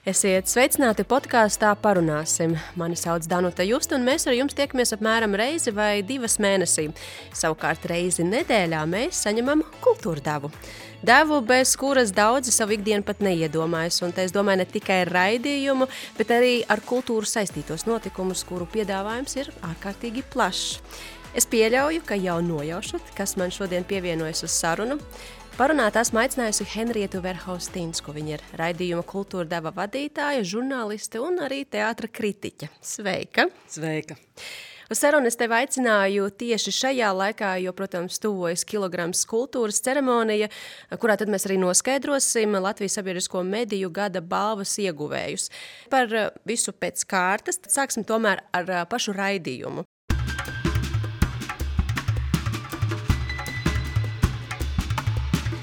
Esiet sveicināti podkāstā Parunāsim. Mani sauc Danuta Justa, un mēs ar jums tiekamies apmēram reizi vai divas mēnesī. Savukārt reizi nedēļā mēs saņemam kultūra devu. Devu, bez kuras daudzi savu ikdienu pat neiedomājas, un te es domāju ne tikai ar raidījumu, bet arī ar kultūru saistītos notikumus, kuru piedāvājums ir ārkārtīgi plašs. Es pieļauju, ka jau nojaušat, kas man šodien pievienojas uz sarunu. Parunāt esmu aicinājusi Henrietu Verhaustīnsku. Viņa ir raidījuma kultūra deva vadītāja, žurnāliste un arī teātra kritiķe. Sveika! Sveika! Uz sarunu es tevi aicināju tieši šajā laikā, jo, protams, tuvojas kilograms kultūras ceremonija, kurā tad mēs arī noskaidrosim Latvijas sabiedrisko mediju gada balvas ieguvējus. Par visu pēc kārtas sāksim tomēr ar pašu raidījumu.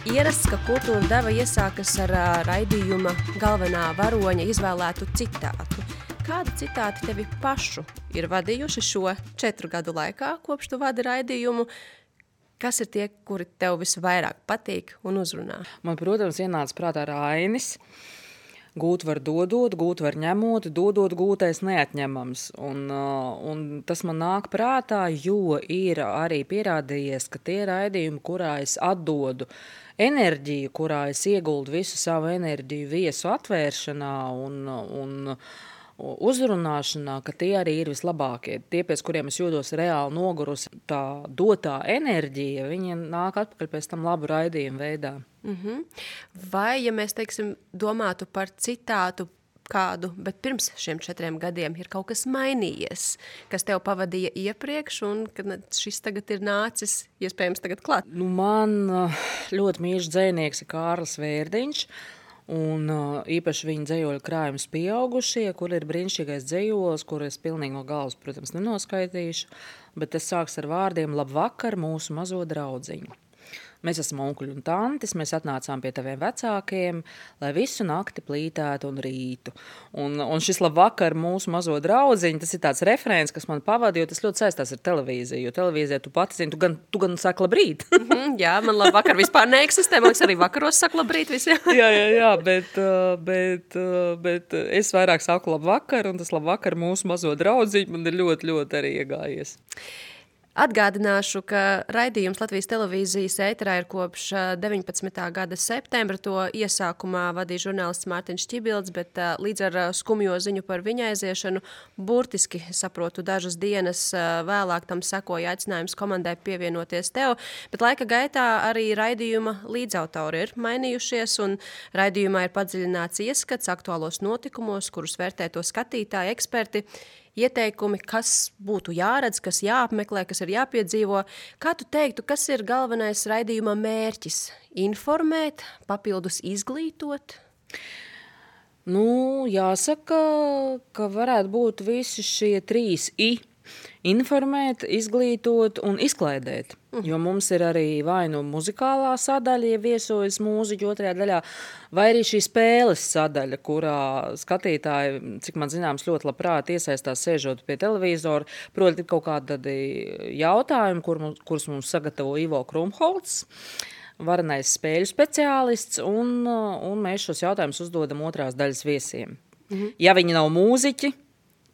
Ierasts, ka kultūra deva iesākas ar raidījuma galvenā varoņa izvēlētu citātu. Kādi citāti tevi pašu ir vadījuši šo 4 gadu laikā, kopš tu vadi raidījumu? Kas ir tie, kuri tev visvairāk patīk un uzrunā? Man, protams, ienāca prātā Rainis. Gūt var dodot, gūt var ņemot, dodot gūtais neatņemams. Un tas man nāk prātā, jo ir arī pierādījies, ka tie raidījumi, kurā es atdodu enerģiju, kurā es ieguldu visu savu enerģiju viesu atvēršanā un uzrunāšanā, ka tie arī ir vislabākie. Tie, pēc kuriem es jūtos reāli nogurusi, tā dotā enerģija, viņi nāk atpakaļ pēc tam labu raidījumu veidā. Vai, ja mēs, teiksim, domātu par citātu kādu, bet pirms šiem 4 gadiem ir kaut kas mainījies, kas tev pavadīja iepriekš un kad šis tagad ir nācis, iespējams, tagad klāt? Man ļoti mīļš dzejnieks ir Kārlis Vērdiņš, un īpaši viņa dzejoļu krājums Pieaugušie, kur ir brīnišķīgais dzejols, kur es pilnīgi no galvas, protams, nenoskaitīšu, bet tas sāks ar vārdiem labvakar mūsu mazo draudziņu. Mēs esam onkuļi un tantes, mēs atnācām pie taviem vecākiem, lai visu nakti plītētu un rītu. Un šis labvakar mūsu mazo draudziņu, tas ir tāds referents, kas man pavada, jo tas ļoti saistās ar televīziju, jo televīzijā tu pati zini, tu gan saki labrīt. Jā, man labvakar vispār neeksistē, man liekas arī vakaros saka labrīt visi. Jā, bet es vairāk saku labvakar, un tas labvakar mūsu mazo draudziņu man ir ļoti, ļoti arī iegājies. Atgādināšu, ka raidījums Latvijas televīzijas ēterā ir kopš 19. gada septembra. To iesākumā vadīja žurnālists Mārtiņš Čibilds, bet līdz ar skumjo ziņu par viņa aiziešanu burtiski, saprotu, dažas dienas vēlāk tam sekoja aicinājums komandai pievienoties tev, bet laika gaitā arī raidījuma līdzautori ir mainījušies, un raidījumā ir padziļināts ieskats aktuālos notikumos, kurus vērtē to skatītāji, eksperti. Ieteikumi, kas būtu jāredz, kas jāapmeklē, kas ir jāpiedzīvo. Kā tu teiktu, kas ir galvenais raidījuma mērķis? Informēt, papildus izglītot? Jāsaka, ka varētu būt visi šie 3 I. Informēt, izglītot un izklaidēt. Jo mums ir arī vai nu muzikālā sadaļa, ja viesojas mūziķi 2. daļā, vai arī šī spēles sadaļa, kurā skatītāji, cik man zināms, ļoti labprāt iesaistās sēžot pie televizora. Proti, ir kaut kādi jautājumi, kurus mums sagatavo Ivo Krumholts, varenais spēļu speciālists, un mēs šos jautājumus uzdodam 2. daļas viesiem. Ja viņi nav mūziķi,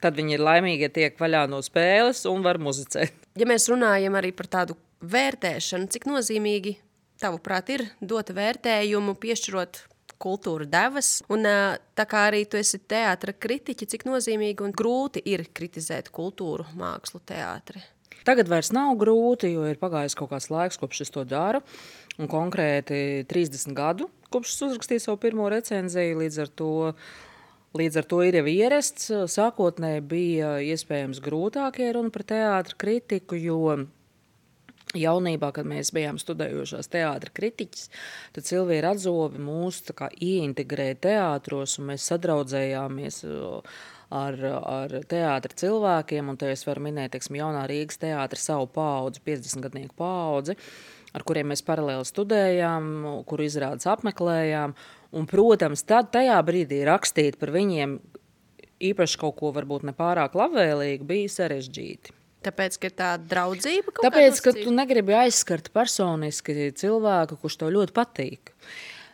tad viņi ir laimīgi, ja tiek vaļā no spēles un var muzicēt. Ja mēs runājam arī par tādu vērtēšanu, cik nozīmīgi, tavuprāt, ir dot vērtējumu, piešķirot kultūra devas, un tā kā arī tu esi teātra kritiķi, cik nozīmīgi un grūti ir kritizēt kultūru, mākslu, teātri? Tagad vairs nav grūti, jo ir pagājis kaut kāds laiks, kopš es to daru, un konkrēti 30 gadu, kopš es uzrakstīju savu pirmo recenziju, Līdz ar to ir jau ierasts. Sākotnēji bija iespējams grūtākie runa par teātra kritiku, jo jaunībā, kad mēs bijām studējošās teātra kritiķis, tad Silvija Radzobe mūs tā kā ieintegrēja teātros, un mēs sadraudzējāmies ar teātra cilvēkiem, un te es varu minēt, jaunā Rīgas teātra savu paudzi, 50-gadnieku paudzi, ar kuriem mēs paralēli studējām, kuru izrādes apmeklējām. Un, protams, tad tajā brīdī rakstīt par viņiem īpaši kaut ko varbūt nepārāk labvēlīgu bija sarežģīti. Tāpēc, ka ir tā draudzība? Tāpēc, ka tu negribi aizskart personiski cilvēku, kurš tev ļoti patīk.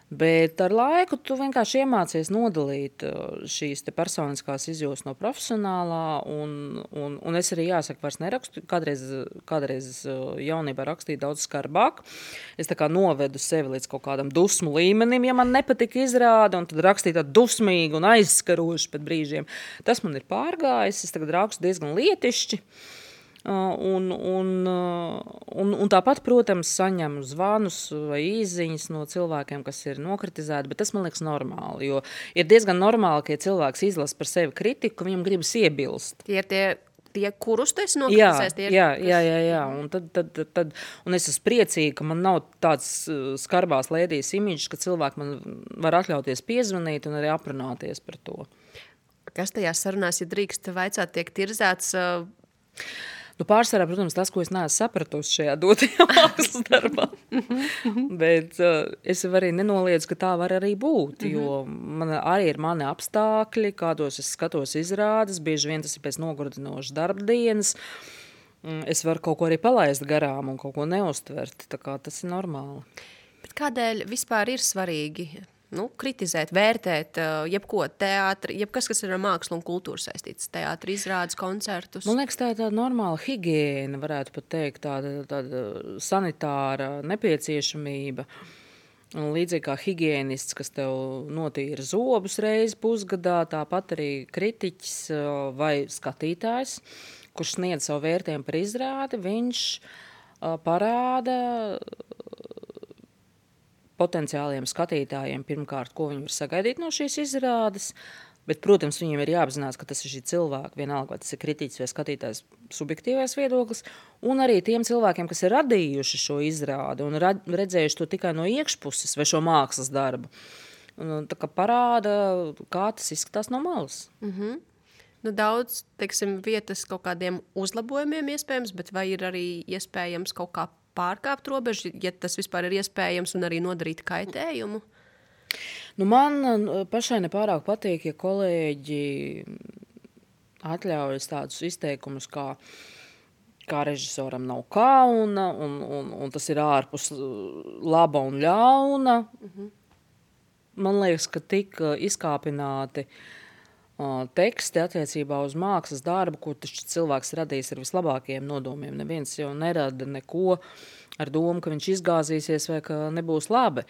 Bet ar laiku tu vienkārši iemācies nodalīt šīs te personiskās izjūtas no profesionālā, un es arī jāsaka, vairs nerakstu. Kādreiz jaunībā rakstīju daudz skarbāk. Es tā kā novedu sevi līdz kaut kādam dusmu līmenim, ja man nepatika izrāde, un tad rakstīju tādu dusmīgu un aizskarošu pēc brīžiem. Tas man ir pārgājis, es tagad rakstu diezgan lietišķi. Un tāpat, protams, saņemu zvanus vai īsziņas no cilvēkiem, kas ir nokritizēti, bet tas man liekas normāli, jo ir diezgan normāli, ka ja cilvēks izlasa par sevi kritiku, viņam gribas iebilst. Tie ir tie kurus tu esi nokritisējis? Jā. Un tad es esmu priecīga, ka man nav tāds skarbās lēdijas imidžs, ka cilvēki man var atļauties piezvanīt un arī aprunāties par to. Kas tajās sarunās, ja drīkst vaicāt, tiek tirzēts? Pārsvarā, protams, tas, ko es neesmu sapratusi šajā dotajā mākslas darbā. Bet es arī nenoliedzu, ka tā var arī būt, jo arī ir mani apstākļi, kādos es skatos izrādes, bieži vien tas ir pēc nogurdinošas darba dienas. Es varu kaut ko arī palaist garām un kaut ko neuztvert, tā kā tas ir normāli. Bet kādēļ vispār ir svarīgi kritizēt, vērtēt jebko teātri, jebkas, kas ir ar mākslu un kultūru saistīts, teātri, izrādes, koncertus? Man liekas, tā ir tāda normāla higiēna, varētu pat teikt, tāda sanitāra nepieciešamība. Un līdzīgi kā higiēnists, kas tev notīra zobus reizi pusgadā, tāpat arī kritiķis vai skatītājs, kurš sniedz savu vērtējumu par izrādi, viņš parāda potenciāliem skatītājiem pirmkārt, ko viņi var sagaidīt no šīs izrādes, bet, protams, viņiem ir jāapzinās, ka tas ir šī cilvēka, vienalga, vai tas ir kritiķis vai skatītājs subjektīvais viedoklis, un arī tiem cilvēkiem, kas ir radījuši šo izrādi un redzējuši to tikai no iekšpuses vai šo mākslas darbu. Un, tā kā parāda, kā tas izskatās no malas. Daudz, teiksim, vietas kaut kādiem uzlabojumiem iespējams, bet vai ir arī iespējams kaut kā pārkāpt robežu, ja tas vispār ir iespējams, un arī nodarīt kaitējumu? Man pašai nepārāk patīk, ja kolēģi atļaujas tādus izteikumus, kā režisoram nav kauna, un tas ir ārpus laba un ļauna. Man liekas, ka tik izkāpināti teksti attiecībā uz mākslas darbu, ko taču cilvēks radīs ar vislabākajiem nodomiem. Neviens jau nerada neko ar domu, ka viņš izgāzīsies vai ka nebūs labi.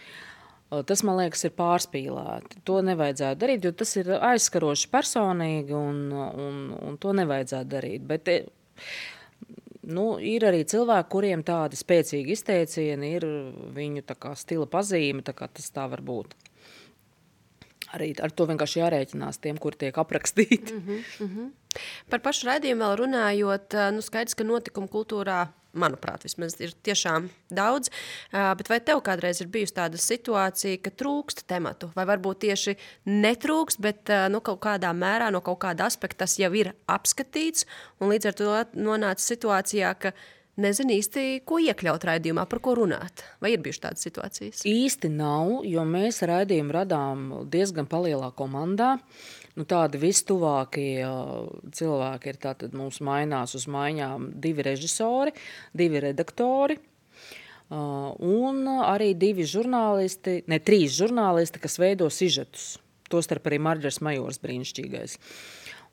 Tas, man liekas, ir pārspīlēti. To nevajadzētu darīt, jo tas ir aizskaroši personīgi un to nevajadzētu darīt. Bet ir arī cilvēki, kuriem tādi spēcīgi izteicieni ir viņu tā kā stila pazīme, tā kā tas tā var būt. Arī ar to vienkārši jārēķinās tiem, kuri tiek aprakstīti. Par pašu raidījumu vēl runājot, skaidrs, ka notikumu kultūrā, manuprāt, vismaz ir tiešām daudz, bet vai tev kādreiz ir bijusi tāda situācija, ka trūkst tematu, vai varbūt tieši netrūkst, bet kaut kādā mērā, no kaut kāda aspekta tas jau ir apskatīts, un līdz ar to nonāca situācijā, ka nezinu īsti, ko iekļaut raidījumā, par ko runāt. Vai ir bijušas tādas situācijas? Īsti nav, jo mēs raidījumu radām diezgan palielā komandā. Tādi vistuvākie cilvēki ir tātad mums mainās uz maiņām 2 režisori, 2 redaktori un arī 2 žurnālisti, 3 žurnālisti, kas veido sižetus. Tostarp arī Marģers Majors brīnišķīgais.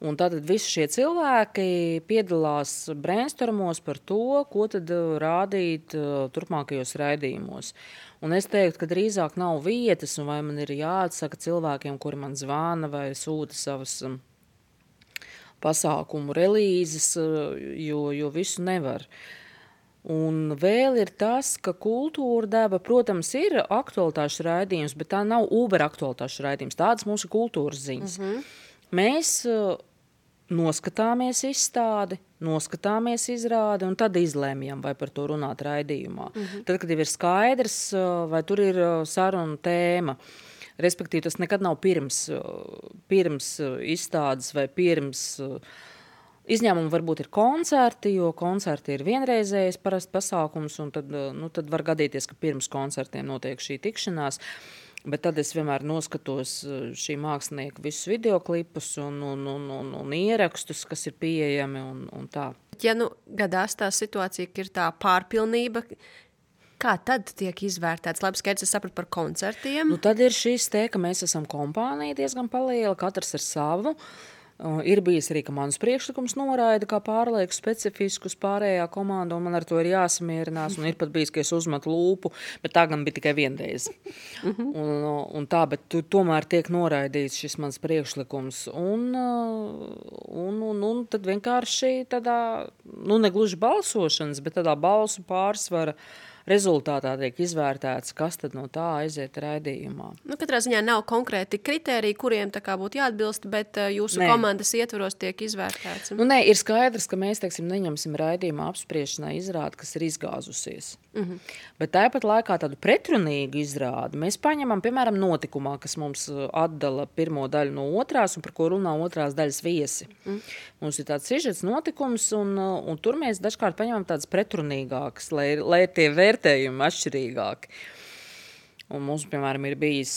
Un tātad visi šie cilvēki piedalās brainstormos par to, ko tad rādīt turpmākajos raidījumos. Un es teiktu, ka drīzāk nav vietas, un vai man ir jāatsaka cilvēkiem, kuri man zvana vai sūta savas pasākumu relīzes, jo visu nevar. Un vēl ir tas, ka kultūra deva, protams, ir aktualitāšu raidījums, bet tā nav Uber aktualitāšu raidījums. Tādas mums ir kultūras ziņas. Mēs noskatāmies izstādi, noskatāmies izrādi un tad izlēmjam, vai par to runāt raidījumā. Tad, kad jau ir skaidrs, vai tur ir saruna tēma, respektīvi tas nekad nav pirms izstādes vai pirms izņēmumi varbūt ir koncerti, jo koncerti ir vienreizējs parasti pasākums, un tad var gadīties, ka pirms koncertiem notiek šī tikšanās. Bet tad es vienmēr noskatos šī mākslinieka visus videoklipus un ierakstus, kas ir pieejami un tā. Ja gadās tā situācija, ka ir tā pārpilnība, Kā tad tiek izvērtēts? Labi, skaidrs, es sapratu par koncertiem. Nu, tad ir šis te, ka mēs esam kompānija diezgan paliela, katrs ar savu. Ir bijis arī, ka mans priekšlikums noraida kā pārlieku specifisku uz pārējā komanda, un man ar to ir jāsamierinās, un ir pat bijis, ka es uzmetu lūpu, bet tā gan bija tikai vienreiz. Un tā, bet tomēr tiek noraidīts šis mans priekšlikums, un tad vienkārši tādā, nu, negluži balsošanas, bet tādā balsu pārsvara rezultātā tiek izvērtēts, kas tad no tā aiziet raidījumā. Nu, katrā ziņā nav konkrēti kritēriji, kuriem tā kā būtu jāatbilst, bet jūsu komandas ietvaros tiek izvērtēts. Nu, nē, ir skaidrs, ka mēs, teiksim, neņemsim raidījumā apspriešanai izrādi, kas ir izgāzusies. Bet tāpat laikā tādu pretrunīgu izrādi mēs paņemam, piemēram, notikumā, kas mums atdala pirmo daļu no otrās un par ko runā otrās daļas viesi. Mums ir tāds sižets notikums, un tur mēs dažkārt paņemam tādas pretrunīgākas, lai tie vērtējumi atšķirīgāki. Un mums, piemēram, ir bijis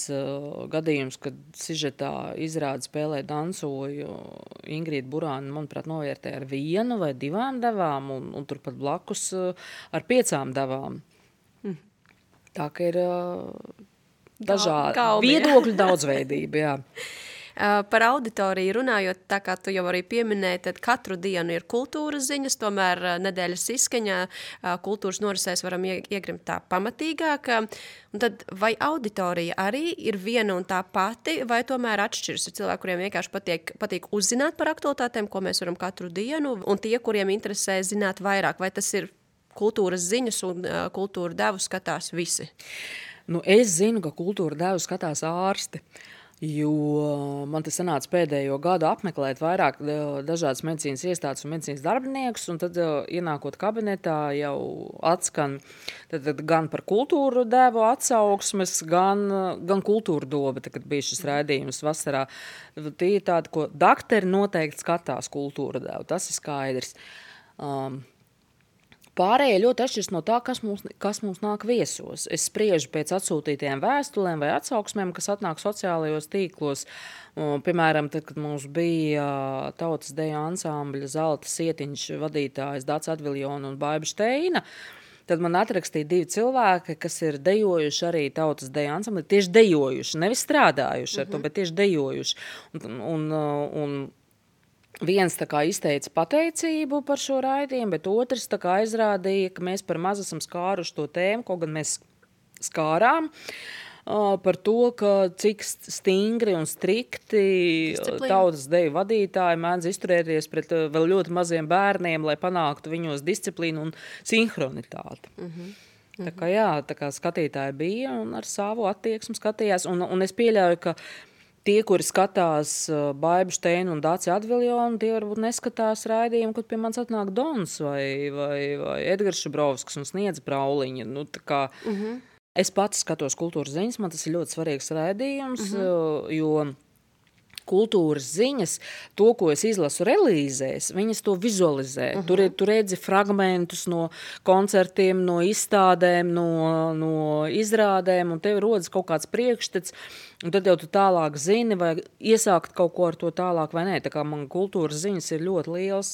gadījums, kad sižetā izrādi spēlē dansoju Ingrīda Burāna, manuprāt, novērtē ar 1 vai 2 devām, un turpat blakus ar 5 devām. Tā ka ir dažādi viedokļu daudzveidība, jā. Par auditoriju runājot, tā kā tu jau arī pieminēji, tad katru dienu ir kultūras ziņas, tomēr nedēļas izskaņā kultūras norisēs varam iegrimt tā pamatīgāk. Un tad vai auditorija arī ir viena un tā pati, vai tomēr atšķiras? Ir cilvēki, kuriem vienkārši patīk uzzināt par aktualitātēm, ko mēs varam katru dienu, un tie, kuriem interesē zināt vairāk, vai tas ir kultūras ziņas un kultūra devu skatās visi? Nu, es zinu, ka kultūra devu skatās ārsti. Jo man te sanāca pēdējo gadu apmeklēt vairāk dažādas medicīnas iestādes un medicīnas darbiniekus, un tad ienākot kabinetā jau atskan tad gan par kultūru devu atsauksmes, gan kultūra doba, kad bija šis raidījums vasarā. Tie ir tādi, ko dakteri noteikti skatās kultūra devu, tas ir skaidrs. Pārējie ļoti atšķiras no tā, kas mums nāk viesos. Es spriežu pēc atsūtītajiem vēstulēm vai atsauksmēm, kas atnāk sociālajos tīklos. Piemēram, tad, kad mums bija tautas deju ansambļa Zelta Sietiņš vadītājs Dācis Adviljona un Baiba Šteina, tad man atrakstīja 2 cilvēki, kas ir dejojuši arī tautas deju ansamblī, tieši dejojuši, nevis strādājuši ar to, bet tieši dejojuši. Un viens tā kā izteica pateicību par šo raidījumu, bet otrs tā kā aizrādīja, ka mēs par maz esam skāruši to tēmu, kaut gan mēs skārām par to, ka cik stingri un strikti tautas deju vadītāji mēdz izturēties pret vēl ļoti maziem bērniem, lai panāktu viņos disciplīnu un sinhronitāti. Tā kā jā, tā kā skatītāji bija un ar savu attieksmi skatījās, un es pieļauju, ka tie, kuri skatās Baibu Šteinu un Dāci Adviljonu, tie varbūt neskatās raidījumu, kad pie manis atnāk Dons vai Edgars Šubrovskis un Sniedz Brauliņa. Nu, tā kā es pats skatos kultūras ziņas, man tas ir ļoti svarīgs raidījums, jo kultūras ziņas, to, ko es izlasu relīzēs, viņas to vizualizē. Tur redzi fragmentus no koncertiem, no izstādēm, no izrādēm, un tev rodas kaut kāds priekšstats, un tad jau tu tālāk zini, vai iesākt kaut ko ar to tālāk vai nē. Tā kā man kultūras ziņas ir ļoti liels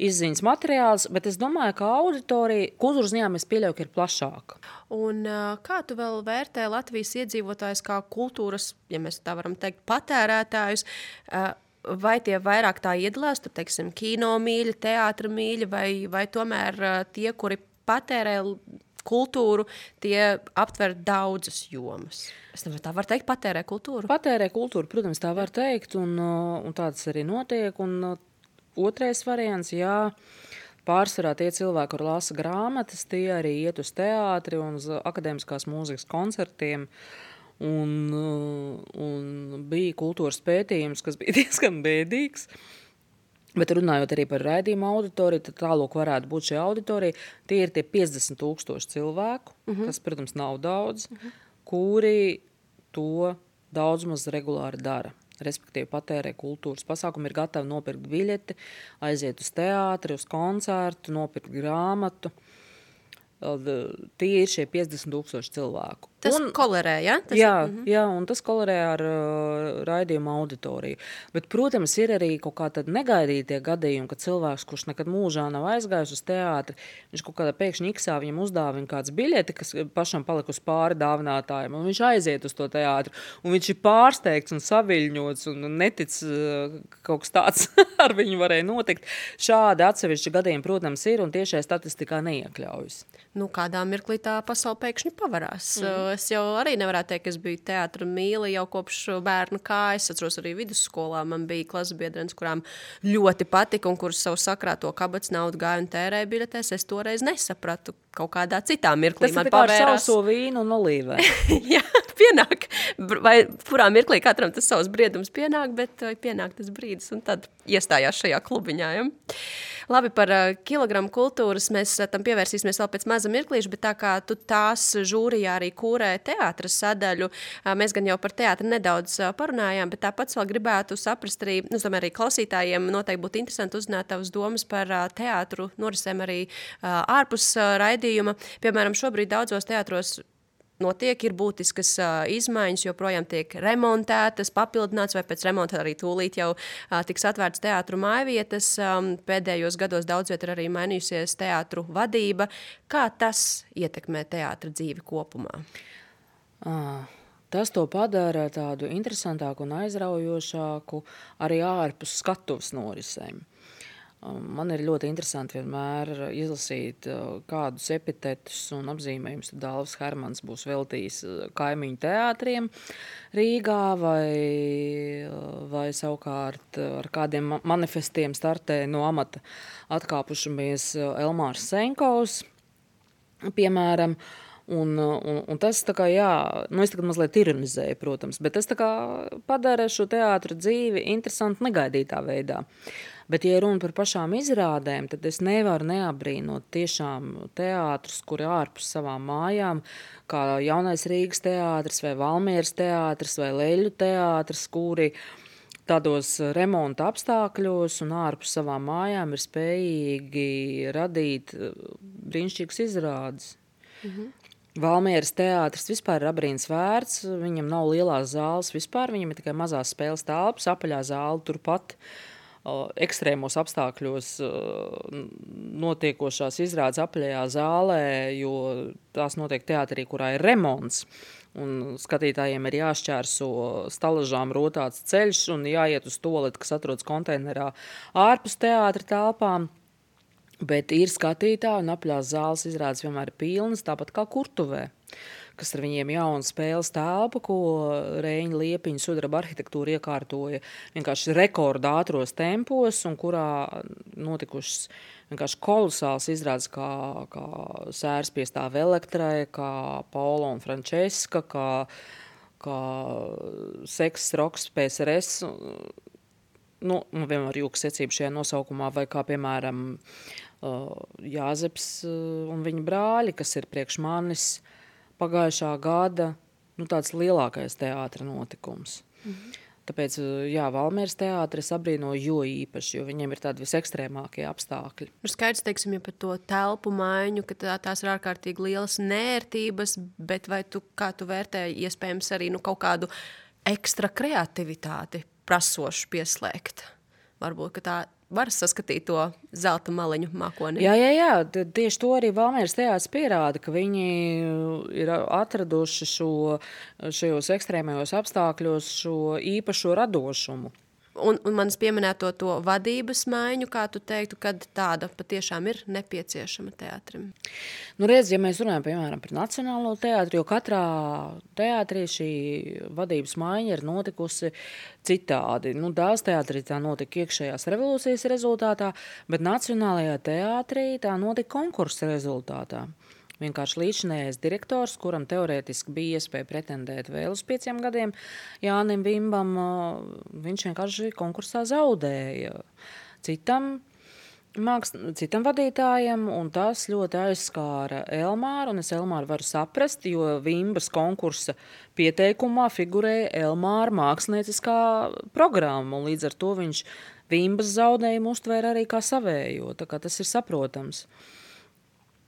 izziņas materiāls, bet es domāju, ka auditorija, kultūras ziņām es pieļauju, ka ir plašāka. Un kā tu vēl vērtē Latvijas iedzīvotājus kā kultūras, ja mēs tā varam teikt, patērētājus, vai tie vairāk tā iedalās, tur, teiksim, kino mīļi, teātra mīļi, vai tomēr tie, kuri patērē kultūru, tie aptver daudzas jomas? Es nevaru tā var teikt, patērē kultūru? Patērē kultūru, protams, tā var teikt, un tāds arī notiek. Un otrais variants, jā, pārsvarā tie cilvēki, kur lasa grāmatas, tie arī iet uz teātri un uz akadēmiskās mūzikas koncertiem. Un bija kultūras pētījums, kas bija diezgan bēdīgs. Bet runājot arī par raidījumu auditoriju, tad tālāk varētu būt šī auditorija. Tie ir tie 50,000 cilvēku, kas, protams, nav daudz, kuri to daudz maz regulāri dara. Respektīvi patērē kultūras pasākumu, ir gatavi nopirkt biļeti, aiziet uz teātri, uz koncertu, nopirkt grāmatu. Tie ir šie 50,000 cilvēku. Tas kolerē, ja? Jā, un tas kolerē ar raidījumu auditoriju. Bet, protams, ir arī kaut kā tad negaidītie gadījumi, ka cilvēks, kurš nekad mūžā nav aizgājis uz teātri, viņš kaut kādā pēkšņi iksā viņam uzdāvina kāds biļeti, kas pašam palikusi pāri dāvinātājiem, un viņš aiziet uz to teātri, un viņš ir pārsteigts un saviļņots un netic, kaut kas tāds ar viņu varēja notikt. Šādi atsevišķi gadījumi, protams, ir, un tiešai statistikā neiekļaujas. Nu, kādā mirklī tā pasaule pēkšņi pavarās. Es jau arī nevarētu teikt, ka es biju teātra mīli jau kopš bērnu kājas. Es atceros arī vidusskolā. Man bija klasebiedrenes, kurām ļoti patika un kuras savu sakrāto kabatas naudu gāja un tērēja biļetēs. Es toreiz nesapratu. Kaut kādā citā mirklī man pavērās. Tas ir kā ar sauso vīnu un olīvē. Jā, pienāk. Vai kurā mirklī katram tas savs briedums pienāk, bet pienāk tas brīdis un tad iestājās šajā klubiņā. Ja? Labi, par kilogramu kultūras mēs tam pievērsīsimies vēl pēc maza mirklīša, bet tā kā tu tās žūrijā arī kūrē teātra sadaļu, mēs gan jau par teātri nedaudz parunājām, bet tāpats vēl gribētu saprast arī, es domāju, arī klausītājiem noteikti būtu interesanti uzzināt tavas domas par teātru norisēm arī ārpus raidījuma. Piemēram, šobrīd daudzos teātros notiek, ir būtiskas izmaiņas, joprojām tiek remontētas, papildināts vai pēc remonta arī tūlīt jau tiks atvērts teātru mājvietas. Pēdējos gados daudz viet ir arī mainījusies teātru vadība. Kā tas ietekmē teātra dzīvi kopumā? Tas to padara tādu interesantāku un aizraujošāku arī ārpus skatuves norisēm. Man ir ļoti interesanti vienmēr izlasīt kādus epitetus un apzīmējumus. Dāvis Hermans būs veltījis kaimiņu teātriem Rīgā vai savukārt ar kādiem manifestiem startē no amata atkāpušamies Elmārs Senkovs, piemēram. Un tas tā kā, jā, es tagad mazliet ironizēju, protams, bet tas tā kā padara šo teātra dzīvi interesanti negaidītā veidā. Bet, ja runa par pašām izrādēm, tad es nevaru neabrīnot tiešām teātrus, kuri ārpus savām mājām, kā Jaunais Rīgas teātris vai Valmieras teātris vai Leļu teātris, kuri tādos remonta apstākļos un ārpus savām mājām ir spējīgi radīt brīnišķīgas izrādes. Valmieras teātris vispār ir abrīns vērts, viņam nav lielās zāles vispār, viņam ir tikai mazās spēles telpas, apaļā zāle turpat ekstrēmos apstākļos notiekošās izrādes apaļajā zālē, jo tās notiek teātrī, kurā ir remonts. Un skatītājiem ir jāšķērso stalažām rotāts ceļš un jāiet uz tualeti, kas atrodas konteinerā ārpus teātra telpām. Bet ir skatītāji un apaļās zāles izrādes vienmēr ir pilnas, tāpat kā Kurtuvē, kas ar viņiem jauna spēles telpa, ko Reiņa Liepiņa sudraba arhitektūra iekārtoja vienkārši rekorda ātros tempos, un kurā notikušas vienkārši kolosāls izrādes, kā Sērs piestāv Elektrai, kā Paula un Frančeska, kā Seks, Roks, PSRS, vienmēr jūka secība šajā nosaukumā, vai kā, piemēram, Jāzeps un viņa brāļi, kas ir priekš manis pagājušā gada, tāds lielākais teātra notikums. Tāpēc, jā, Valmieras teātris abrīnoju jo īpaši, jo viņiem ir tādi visekstrēmākie apstākļi. Skaidrs, teiksim, ja par to telpu maiņu, ka tās ir ārkārtīgi lielas nērtības, bet vai kā tu vērtēji iespējams arī kaut kādu ekstra kreativitāti prasošu pieslēgt? Varbūt, ka tā var saskatīt to zelta maliņu mākoni. Jā, tieši to arī Valmieras teātris pierāda, ka viņi ir atraduši šajos ekstrēmajos apstākļos šo īpašo radošumu. Un manis pieminēto to vadības maiņu, kā tu teiktu, kad tāda patiešām ir nepieciešama teātrim? Redz, ja mēs runājam, piemēram, par Nacionālo teātri, jo katrā teātrī šī vadības maiņa ir notikusi citādi. Dāls teātrī tā notika iekšējās revolūcijas rezultātā, bet Nacionālajā teātrī tā notika konkursa rezultātā. Vienkārši līdzinājais direktors, kuram teorētiski bija iespēja pretendēt vēl uz 5 gadiem, Jānim Vimbam, viņš vienkārši konkursā zaudēja citam vadītājam, un tas ļoti aizskāra Elmāru, un es Elmāru varu saprast, jo Vimbas konkursa pieteikumā figurēja Elmāra mākslinieckā programma, un līdz ar to viņš Vimbas zaudējumu uztvēra arī kā savējo, tā kā tas ir saprotams.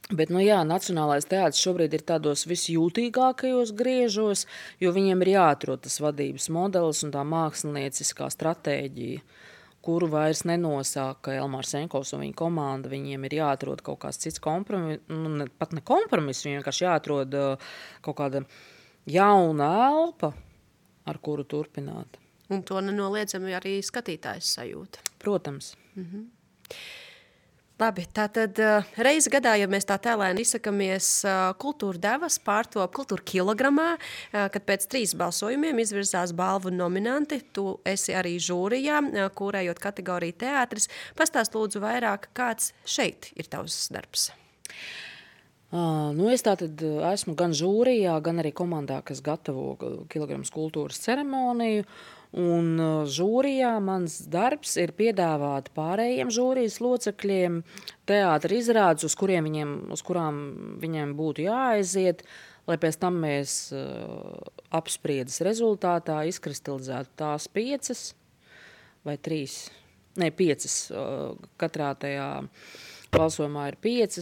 Bet, nu jā, Nacionālais teātris šobrīd ir tādos visjūtīgākajos griežos, jo viņiem ir jāatrod tas vadības modelis un tā mākslinieckā stratēģija, kuru vairs nenosaka Elmārs Senkovs un viņa komanda. Viņiem ir jāatrod kaut kāds cits kompromiss, pat ne kompromiss, viņiem vienkārši jāatrod kaut kāda jauna elpa, ar kuru turpināt. Un to nenoliedzami arī skatītājs sajūta. Protams. Labi, tātad reizi gadā, ja mēs tā tēlēni izsakamies, kultūra devas pārtop kultūra kilogramā, kad pēc 3 balsojumiem izvirzās balvu nominanti. Tu esi arī žūrijā, kūrējot kategoriju teātris. Pastāst lūdzu vairāk, kāds šeit ir tavs darbs? Nu, es tātad esmu gan žūrijā, gan arī komandā, kas gatavo kilograms kultūras ceremoniju. Un žūrijā mans darbs ir piedāvāt pārējiem žūrijas locekļiem teātra izrādes, uz kurām viņiem būtu jāaiziet, lai pēc tam mēs apspriedas rezultātā izkristalizētu tās 5 vai 3, ne 5, katrā tajā balsojumā ir 5,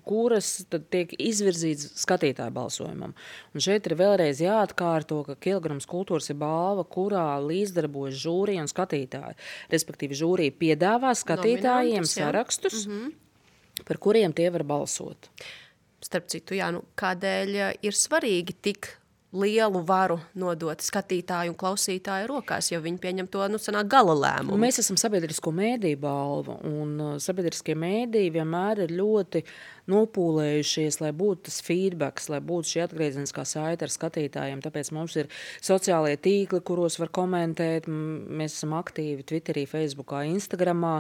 kuras tad tiek izvirzītas skatītāju balsojumam. Un šeit ir vēlreiz jāatkārto, ka kilograms kultūras ir balva, kurā līdzdarbojas žūrija un skatītāji. Respektīvi, žūrija piedāvā skatītājiem sarakstus, par kuriem tie var balsot. Starp citu, jā, kādēļ ir svarīgi tik lielu varu nodot skatītāju un klausītāju rokās, jo viņi pieņem to, sanāk gala lēmumu. Mēs esam sabiedrisko mēdīju balva, un sabiedriskie mēdīji vienmēr ir ļoti nopūlējušies, lai būtu tas feedbacks, lai būtu šī atgriezeniskā saite ar skatītājiem. Tāpēc mums ir sociālie tīkli, kuros var komentēt. Mēs esam aktīvi Twitterī, Facebookā, Instagramā.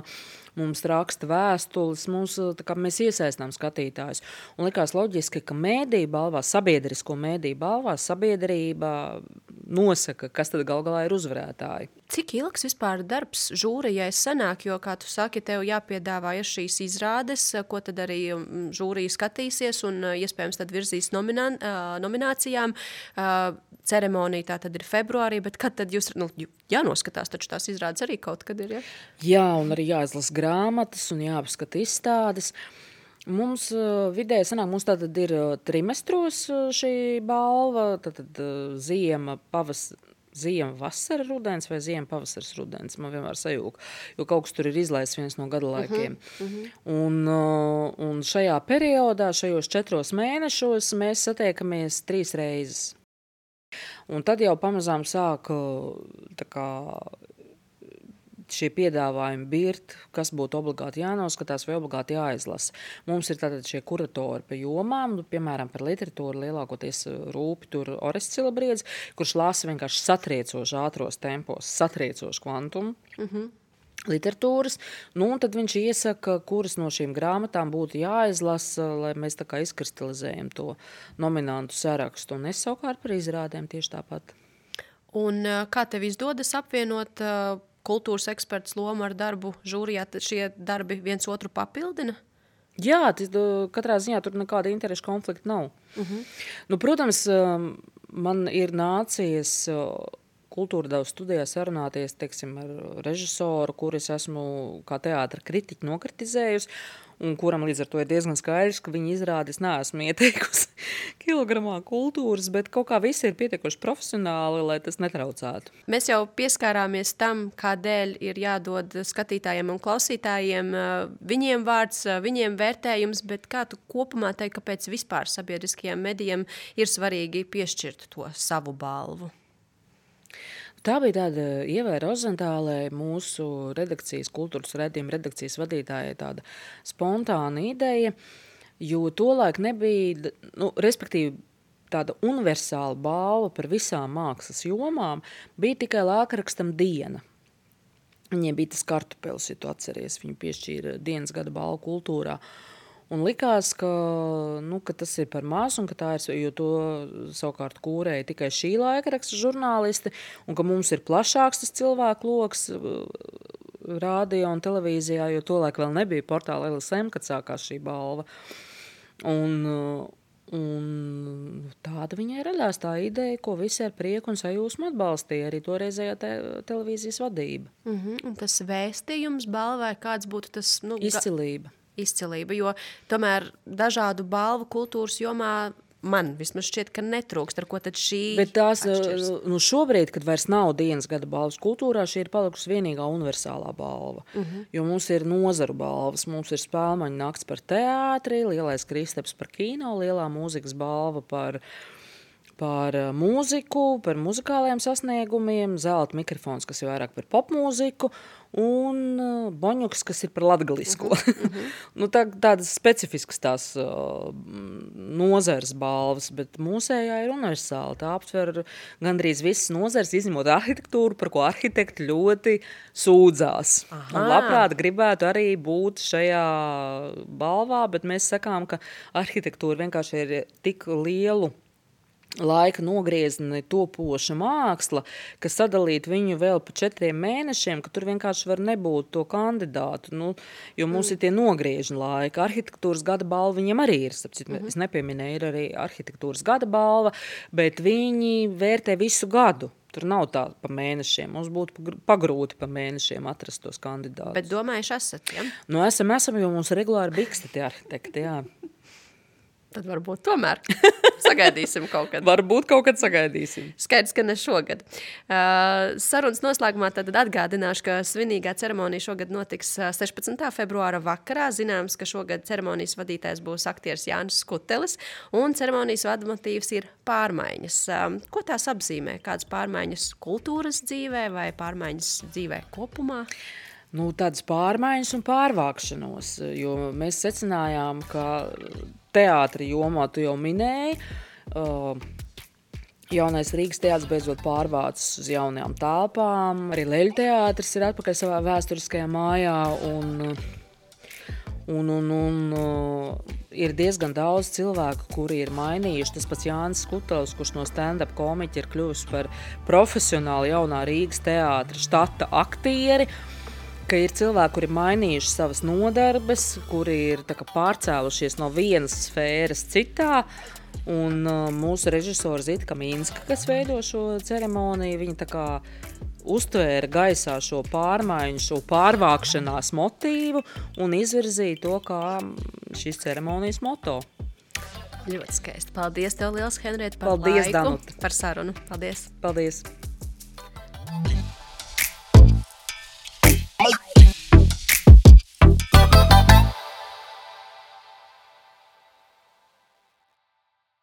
Mums raksta vēstules, mēs iesaistām skatītājus. Un likās loģiski, ka mēdīju balvā, sabiedrisko mēdīju balvā, sabiedrība nosaka, kas tad gal galā ir uzvarētāji. Cik ilgs vispār darbs žūrijai sanāk, jo, kā tu saki, tev jāpiedāvā šīs izrādes, ko tad arī žūrija skatīsies un iespējams tad virzīs nominācijām. Ceremonija tā tad ir februārī, bet kad tad jūs, jānoskatās, taču tās izrādes arī kaut kad ir, ja? Jā, un arī jāizlas grāmatas un jāapskata izstādes. Mums vidēji sanāk, mums tātad ir trimestros šī balva, tātad ziema, vasara, rudens vai ziema, pavasaris, rudens. Man vienmēr sajūg, jo kaut kas tur ir izlaists viens no gada laikiem. Un šajā periodā, šajos 4 mēnešos mēs satiekamies 3 reizes. Un tad jau pamazām sāk šie piedāvājumi birt, kas būtu obligāti jānoskatās vai obligāti jāizlasa. Mums ir tātad šie kuratori pa jomām, piemēram, par literatūru lielākoties rūpi tur Orests Cilabriedis, kurš lasa vienkārši satriecoši ātros tempos, satriecoši kvantumu literatūras. Un tad viņš iesaka, kuras no šīm grāmatām būtu jāizlasa, lai mēs tā kā izkristalizējam to nominantu sarakstu. Un es savukārt par izrādēm tieši tāpat. Un kā tev izdodas apvienot kultūras eksperts lomu ar darbu žūrijā? Šie darbi viens otru papildina? Jā, katrā ziņā tur nekāda interešu konflikta nav. Protams, man ir nācies kultūra devu studijā sarunāties, teiksim, ar režisoru, kuris esmu kā teātra kritiķi nokritizējusi, un kuram līdz ar to ir diezgan skaidrs, ka viņa izrādes neesmu ieteikusi kilogramā kultūras, bet kaut kā visi ir pietiekoši profesionāli, lai tas netraucētu. Mēs jau pieskārāmies tam, kādēļ ir jādod skatītājiem un klausītājiem viņiem vārds, viņiem vērtējums, bet kā tu kopumā teiksi, kāpēc vispār sabiedriskajiem medijiem ir svarīgi piešķirt to savu balvu? Tā bija tāda Ievai Rozentālei, mūsu redakcijas, kultūras raidījuma redakcijas vadītājai, tāda spontāna ideja, jo tolaik nebija, respektīvi, tāda universāla balva par visām mākslas jomām bija tikai lēkrakstam Diena. Viņiem bija tas kartupelis, ja tu atceries, viņu piešķīra dienas gada balvu kultūrā. Un likās, ka tas ir par maz, un ka tā ir, jo to savukārt kūrēja tikai šī laikraksta žurnālisti, un ka mums ir plašāks tas cilvēku loks rādio un televīzijā, jo tolaik vēl nebija portāla LSM, kad sākās šī balva. Un tāda viņai radās tā ideja, ko visi ar prieku un sajūsmu atbalstīja, arī toreizējā televīzijas vadība. Un tas vēstījums balvai, kāds būtu tas? Izcilība. izcilība, jo tomēr dažādu balvu kultūras jomā man vismaz šķiet, ka netrūkst, ar ko tad šī Bet tās, atšķirs. Šobrīd, kad vairs nav dienas gada balvas kultūrā, šī ir palikusi vienīgā universālā balva. Jo mums ir nozaru balvas, mums ir Spēlmaņu nakts par teātri, Lielais Kristaps par kino, Lielā mūzikas balva par mūziku, par muzikālajiem sasniegumiem, Zelta mikrofons, kas ir vairāk par popmūziku, un Boņuks, kas ir par latgalisko. Tādas specifiskas tās nozares balvas, bet mūsējā ir universāla. Tā aptver gandrīz visas nozares, izņemot arhitektūru, par ko arhitekti ļoti sūdzās. Un labprāt gribētu arī būt šajā balvā, bet mēs sakām, ka arhitektūra vienkārši ir tik lielu laika nogriezni topoša māksla, ka sadalīt viņu vēl pa 4 mēnešiem, ka tur vienkārši var nebūt to kandidātu, jo mums ir tie nogriežņi laika. Arhitektūras gada balva viņiem arī ir, es nepieminēju, ir arī arhitektūras gada balva, bet viņi vērtē visu gadu. Tur nav tā pa mēnešiem. Mums būtu pagrūti pa mēnešiem atrast tos kandidātus. Bet domājuši esat, ja? Esam, jo mums regulāri biksti tie arhitekti, jā. Tad varbūt tomēr sagaidīsim kaut kad. Varbūt kaut kad sagaidīsim. Skaidrs, ka ne šogad. Sarunas noslēgumā tad atgādināšu, ka svinīgā ceremonija šogad notiks 16. februāra vakarā. Zināms, ka šogad ceremonijas vadītājs būs aktieris Jānis Skutelis, un ceremonijas vadmotīvs ir pārmaiņas. Ko tās apzīmē? Kādas pārmaiņas kultūras dzīvē vai pārmaiņas dzīvē kopumā? Tādas pārmaiņas un pārvākšanos, jo mēs secinājām, ka teātri jomā tu jau minēji, jaunais Rīgas teātris beidzot pārvācis uz jaunajām telpām, arī Leļu teātris ir atpakaļ savā vēsturiskajā mājā un ir diezgan daudz cilvēku, kuri ir mainījuši. Tas pats Jānis Skutelis, kurš no stand-up komiķa ir kļuvis par profesionāli jaunā Rīgas teātra štata aktieri, ka ir cilvēki, kuri mainījuši savas nodarbes, kuri ir pārcēlušies no vienas sfēras citā, un mūsu režisora Zita Kamīnska, kas veido šo ceremoniju, viņa uztvēra gaisā šo pārmaiņu, šo pārvākšanās motīvu un izvirzīja to kā šīs ceremonijas moto. Ļoti skaisti. Paldies tev liels, Henrieta, par Paldies, laiku, Danuta. par sarunu. Paldies. Paldies.